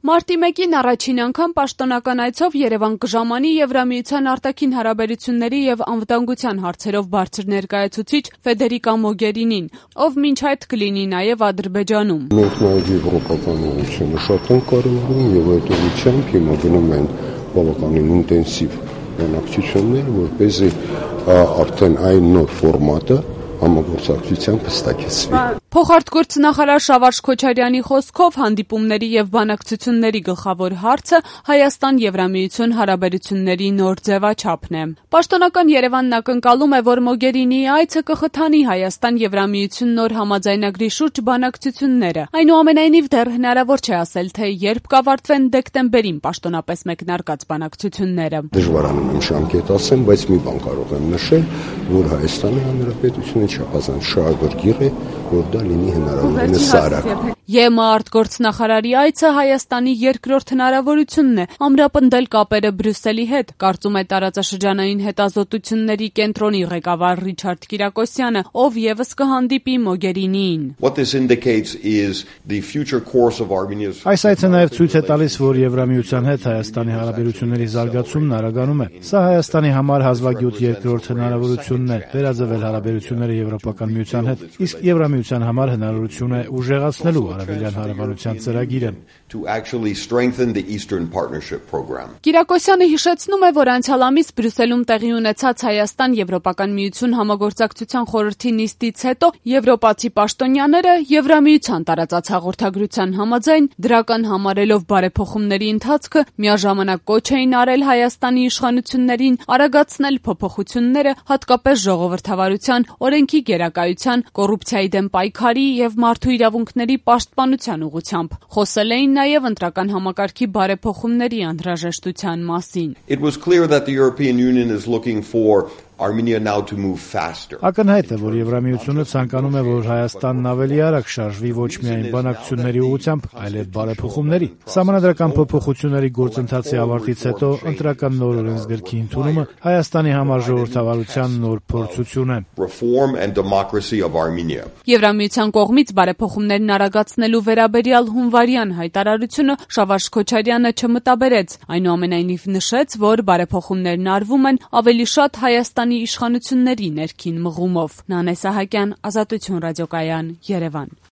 Մարտի 1-ին առաջին անգամ պաշտոնական այցով Երևան կժամանի Եվրամիության արտաքին հարաբերությունների եւ անվտանգության հարցերով բարձր ներկայացուցիչ Ֆեդերիկա Մոգերինին, ով մինչ այդ կլինի նաեւ Ադրբեջանում։ Մենք նաեւ եվրոպական ուղղությունը շատ ենք կարևորում եւ այդ ուղղությամբ հիմա գնում են բավականին ինտենսիվ բանակցություններ, որպեսզի արդեն այն նոր ֆորմատը համագործակցությամբ հստակեցվի։ Փոխարտգործնախարար Շավարշ Քոչարյանի խոսքով հանդիպումների եւ բանակցությունների գլխավոր հարցը Հայաստան-Եվրամիություն հարաբերությունների նոր ձևաչափն է։ Պաշտոնական Երևանն ակնկալում է, որ Մոգերինիի այցը կխթանի Հայաստան-Եվրամիություն նոր համաձայնագրի շուրջ բանակցությունները։ Այնուամենայնիվ դեռ հնարավոր չէ ասել, թե երբ կավարտվեն դեկտեմբերին պաշտոնապես մեկնարկած բանակցությունները։ Դժվարանում եմ ժամկետ ասեմ, բայց մի բան կարող եմ նշել, որ Հայաստանի Հանրապետությունը չափազանց շահագրգիռ է, որ դա լինի հնարավորինս արագ։ ԵՄ արտգործնախարարի այցը Հայաստանի երկրորդ հնարավորությունն է ամրապնդել կապերը Բրյուսելի հետ, կարծում է տարածաշրջանային հետազոտությունների կենտրոնի ղեկավար Ռիչարդ Կիրակոսյանը, ով եւս կհանդիպի Մոգերինիին։ Այս այցը նաեւ ցույց է տալիս, որ Եվրամիության հետ Հայաստանի հարաբերությունների զարգացումն արագանում է։ Սա Հայաստանի համար հազվագյուտ երկրորդ հնարավորությունն է վերաձևել հարաբերությունները Եվրոպական միության հետ, իսկ Եվրամիության համար հնարավորություն է ուժեղացնելու արևելյան հարաբերության ծրագիրը։ Կիրակոսյանը հիշեցնում է, որ անցյալ ամիս Բրյուսելում տեղի ունեցած Հայաստան-Եվրոպական միություն համագործակցության խորհրդի նիստից հետո եվրոպացի պաշտոնյաները Եվրամիության տարածած հաղորդագրության համաձայն դրական համարելով բարեփոխումների ընթացքը միաժամանակ կոչ էին արել Հայաստանի իշխանություններին արագացնել փոփոխությունները, հատկապես ժողովրդավարության, օրենքի գերակայության, կոռուպցիայի դեմ պայքարի եւ մարդու իրավունքների պաշտպանության ուղղությամբ։ Խոսել էին նաեւ ընտրական համակարգի բարեփոխումների անհրաժեշտության մասին։ Ակնհայտ է, որ Եվրամիությունը ցանկանում է, որ Հայաստանն ավելի արագ շարժվի ոչ միայն բանակցությունների ուղղությամբ, այլև բարեփոխումների։ Սահմանադրական փոփոխությունների գործընթացի ավարտից հետո ընտրական նոր օրենսգրքի ընդունումը Հայաստանի համար ժողովրդավարության նոր փորձություն է։ Եվրամիության կողմից բարեփոխումներն արագացնելու վերաբերյալ հունվարյան հայտարարությունը Շավարշ Քոչարյանը չմտաբերեց, այնուամենայնիվ նշեց, որ բարեփոխումներն արվում են ավելի շատ Հայաստանի իշխանությունների ներքին մղումով։ Նանե Սահակյան, Ազատություն ռադիոկայան, Երևան։